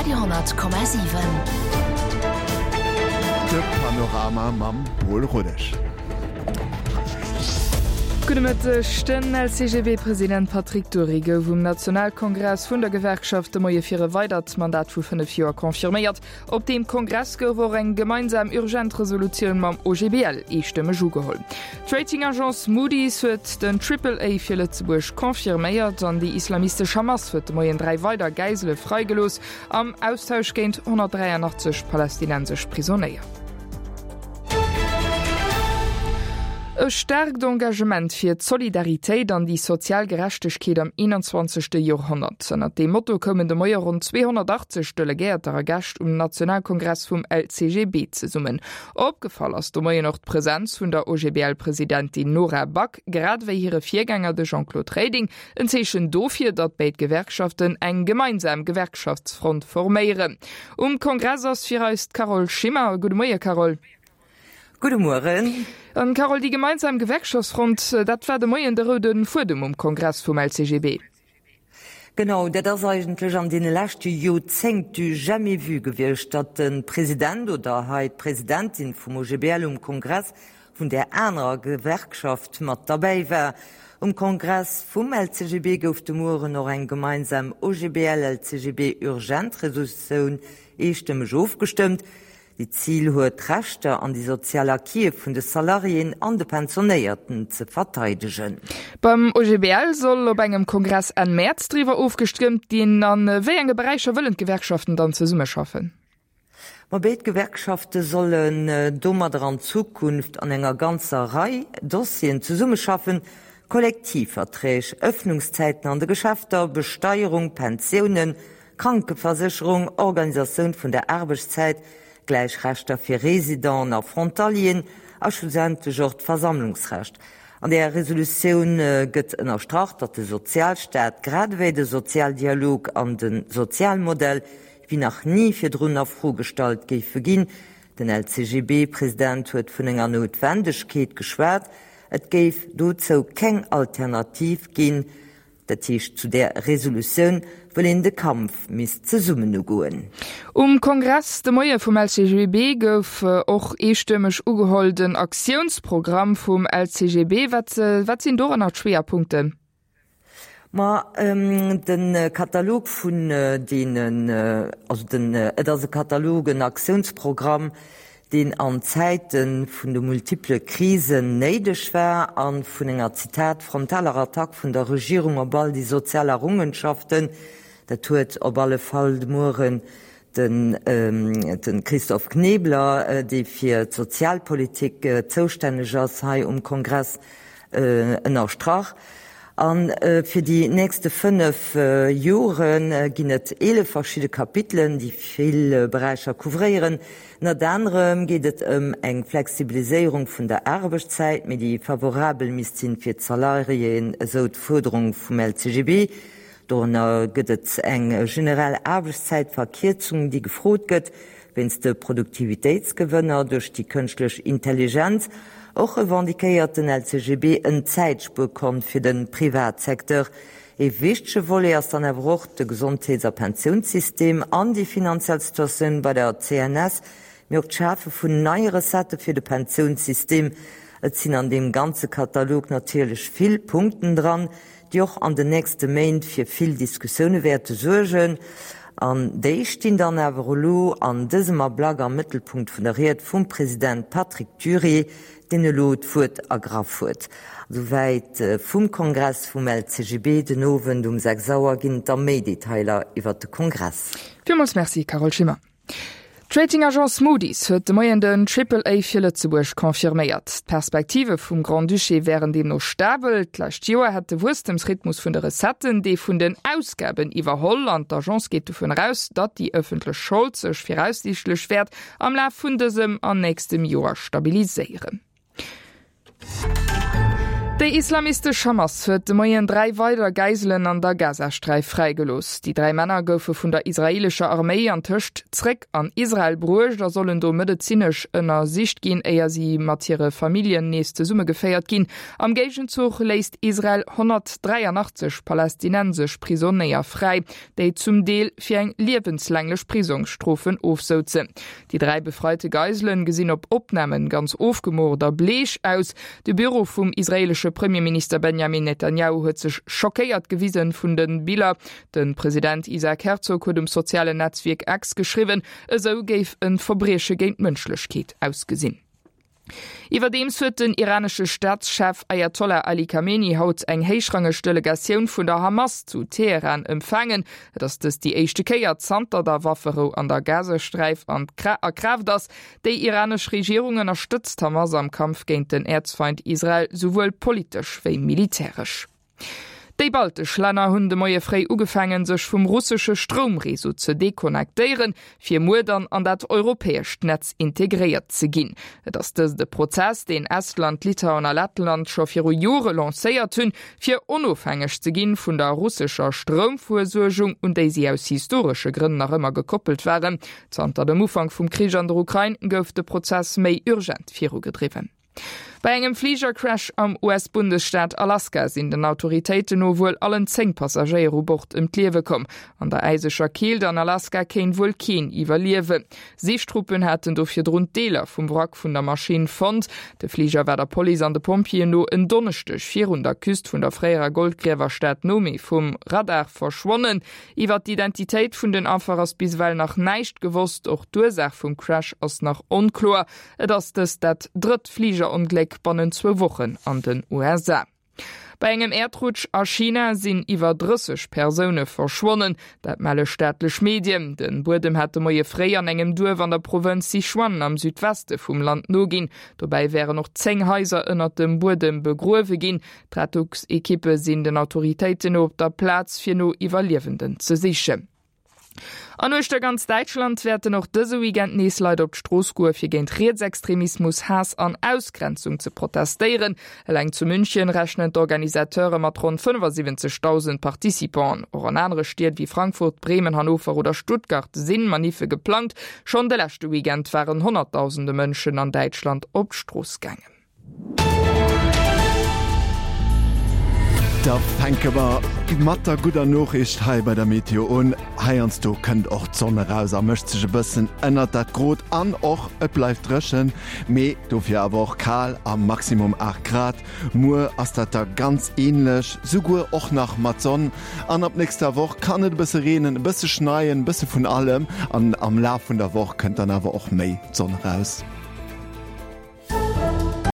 Radio 10,7. De Panorama mam Paul Rodesch. Gudde Mëtteg. Den LCGB-President Patrick Dury gouf um Nationalkongress vun der Gewerkschaft de Moie fir e weidert Mandat vu 5 Joer confirméiert. Op deem Kongress gouf och eng gemeinsam urgent Resolutioun mam OGBL eestëmmeg ugeholl. D'Rating-Agence Moody's huet den Triple A fir Lëtzebuerg confirméiert an déi islamistesch Hamas huet de Moien 3 weider Gäisele freigelooss am Austausch géint 183 palästinensesch Prisonéier. E staarkt Engagement fir d'Solidaritéit an déi sozial Gerechtegkeet am 21. Joerhonnert. Ënnert deem Motto koumen de Moie ronn 280 Delegéierter a Gäscht um Nationalkongress vum LCGB zesummen. Opgefall ass de Moien och d'Presenz vun der OGBL-Presidentin Nora Back, grad ewéi hire Virgänger, de Jean-Claude Reding. En Zeechen dofir, datt béid Gewerkschaften eng gemeinsam Gewerkschaftsfront forméieren. Um Kongress ass fir eis d'Carole Schimmer. Gudde Moie Carole. Gudde Mueren. An Carole, déi gemeinsam Gewerkschaftsfront, dat war de Moien de roude Fuedem um Kongress vum LCGB. Genau, dat ass eigentlech an deene leschte Joerzéngt du jamais vu gewiescht, datt de President oder hei d'Presidentin vum OGBL um Kongress vun där anerer Gewerkschaft mat derbäi war. Um Kongress vum LCGB gouf de Mueren och eng gemeinsam OGBL-LCGB-Urgent-Resolutioun eestëmmeg ofgestëmmt, déi d'Zil huet, d'Rechter an déi sozial Acquise vun de Salariéen an de Pensionéierten ze verteidegen. Beim OGBL soll op engem Kongress Enn Mäerz driwwer ofgestëmmt ginn. A wéi enge Beräicher wëllen d'Gewerkschaften dann zesummeschaffen? Ma béid Gewerkschafte sollen domadder an Zukunft an enger ganzer Rei Dossieren zesummeschaffen, Kollektivverträg, Ëffnungszäiten an de Geschäfter, Besteierung, Pensiounen, Krankeversécherung, Organisatioun vun der Aarbechtszäit, gläich Rechter fir Residenten a Frontalieren a schlussendlech och d'Versammlungsrecht. An där Resolutioun gëtt ënnerstrach, datt de Sozialstaat grad ewéi de Sozialdialog an de Sozialmodell wéi nach ni virdrun a Fro gestallt géife ginn. Den LCGB-President huet vun enger Noutwendegkeet geschwat, et géif dozou keng Alternativ ginn. Dat heescht zu där Resolutioun, wëll een de Kampf misst zesummen ugoen. Um Kongress de Moie vum LCGB gouf och eestëmmeg ugeholl den Aktiounsprogramm vum LCGB. Wat wat sinn doranner d'Schwéierpunkten? Ma de Katalog vun deenen, also den, et ass e Katalog, en Aktiounsprogramm, deen an Zäite vun de multiple Krisen néideg war a vun enger, Zitat, frontaler Attack vun der Regierung op all déi sozial Errungenschaften. Dat huet op alle Fall de Mueren de Christophe Knebler, dee fir d'Sozialpolitik zoustänneg ass hei um Kongress, ënnerstrach. A fir déi nächste 5 Jore ginn et 11 verschidde Kapitelen, déi vill Beräicher couvréieren. Ënnert anerem geet et ëm eng Flexibiliséierung vun der Aarbechtszäit, mee déi favorabel misst sinn fir d'Salariéen, esou d'Fuerderung vum LCGB. Dorënner gëtt et eng generell Aarbechtszäitverkierzung, déi gefrot gëtt wéinst de Produktivitéitsgewënner duerch déi kënschtlech Intelligenz. Och revendiquéiert den LCGB en Zäitspuerkont fir de Privatsecteur. Ee wichtege Volet ass dann awer och de Gesondheets a Pensiounssystem an déi finanziell Situatioun bei der CNS, mee och d'Schafe vun neie Recettë fir de Pensiounssystem. Et sinn an deem ganze Katalog natierlech vill Punkten dran, déi och an den nächste Méint fir vill Diskussioune wäerte suergen. An déi stinn dann awer elo an dësem Ablack am Mëttelpunkt vun der Ried vum President Patrick Dury, deen elo d'Wuert ergraff huet. Souwäit vum Kongress vum LCGB. Den Owend um 6 Auer ginn et da méi Detailer iwwert de Kongress. Villmools Merci, Carole Schimmer. D'Rating-Agence Moody's huet de Moien den Triple A fir Lëtzebuerg confirméiert. D'Perspektive vum Grand-Duché wären deemno stabel. D'lescht Joer hätt de Wuesstemsrhythmus vun de Recetten dee vun den Ausgaben iwwerholl an d'Agence geet dovun eraus, datt déi ëffentlech Schold sech viraussiichtlech wäert am Laf vun dësem an nächstem Joer stabiliséieren. Déi islamistesch Hamas huet de Moien 3 weider Geiselen an der Gazasträif fräigelooss. Déi 3 Männer goufe vun der israeelescher Arméi antëscht zréck an Israel bruecht a sollen do medezinesch ënnersicht ginn, éier si mat hire Familljen nees zesummegeféiert ginn. Am Géigenzuch léisst Israel 183 palästinensesch Prisonéier fräi, déi zum Deel fir eng liewenslänglech Prisongsstrofen ofsouzen. Déi 3 befreite Geiselen gesinn op Opnamen ganz ofgemogert a bleech aus. De Büro vum israeelesche Premierminister Benjamin Netanjahu huet sech schockéiert gewisen vun de Biller. De President Isaac Herzog huet um sozialen Netzwierk X geschriwwen, esou géif e Verbrieche géint d'Mënschlechkeet ausgesinn. Iwwerdeems huet den iranesche Staatschef Ayatollah Ali Khamenei haut eng héichrangeg Delegatioun vun der Hamas zu Teheran empfaangen. Et ass dëst déi éischte Kéier zanter der Wafferou an der Gazasträif an a Kraaft ass. Déi iranesch Regierung ënnerstëtzt d'Hamas am Kampf géint den Äerzfeind Israel souwuel politesch wéi militäresch. Déi baltesch Länner hunn de Moie fréi ugefaangen, sech vum russesche Stroumreseau ze deconnectéieren, fir muer dann an dat europäescht Netz integréiert ze ginn. Et ass dëst e Prozess, deen Estland, Litauen a Lettland scho viru Jore lancéiert hunn, fir onofhängeg ze ginn vun der russescher Stroumfuersuergung, un déi si aus historesche Grënn nach ëmmer gekoppelt waren. Zanter dem Ufank vum Krich an der Ukrain gouf de Prozess méi urgent virugedriwwen. Bei engem Fligercrash am US-Bundesstaat Alaska sinn den Autoritéiten no wuel allen 10 Passagéier u Bord ëm d'Liewe komm. An der äiseger Keelt an Alaska kéint wuel keen iwwerliewen. Sichtruppen haten do virdrun d'Deeler vum Wrack vun der Maschinn fonnt. De Fliger war der Police an de Pompjeeën no en Donneschdeg virun der Küst vun der fréierer Goldgriewerstad Nome vum Radar verschwonnen. Iwwer d'Identitéit vun den Affer ass bis ewell nach näischt gewosst. Och d'Ursaach vum Crash ass nach onkloer. Et ass dëst dat drëtt Fligerongléck bannent zwou Wochen an den USA. Bei engem Äerdrutsch a China sinn iwwer 30 Persoune verschwonnen. Dat melle staatlech Medien. De Buedem hat de Moie fréi an engem Duerf an der Provënz Sichuan am Südweste vum Land noginn. Dobäi wären och 10 Haiser ënnert dem Buedem begruewe ginn. D'Rettungsekippe sinn den Autoritéiten no op der Plaz, fir no Iwwerliewenden ze sichen. An uechter ganz Däitschland wäerten och dëse Weekend nees Leit op d'Strooss goe fir géint Rietsextremismus, Haass an Ausgrenzung ze protestéieren. Eleng zu München rechnen d'Organisateure mat ronn 75.000 Participanten. Och an anere Stied wéi Frankfurt, Bremen, Hannover oder Stuttgart si Maniffe geplangt. Schonn de leschte Weekend waren Honnertdausende Mënschen an Däitschland op d'Strooss gaangen. Da fänke mer mat der gudder Noriicht hei bei der Meteo un. Heiansdo kënnt och d'Sonn eraus a mécht sech e bëssen ënnert dat Grot an och et bleift dréchen, mee dofir awer och kal a Maximum 8 Grad. Muer ass dat da ganz änlech, souguer och nach mat Sonn an ab nächster Woch kann et e bësse reenen, e bësse schneien, e bësse vun allem an am Laf vun der Woch kënnt dann awer och méi d'Sonn eraus.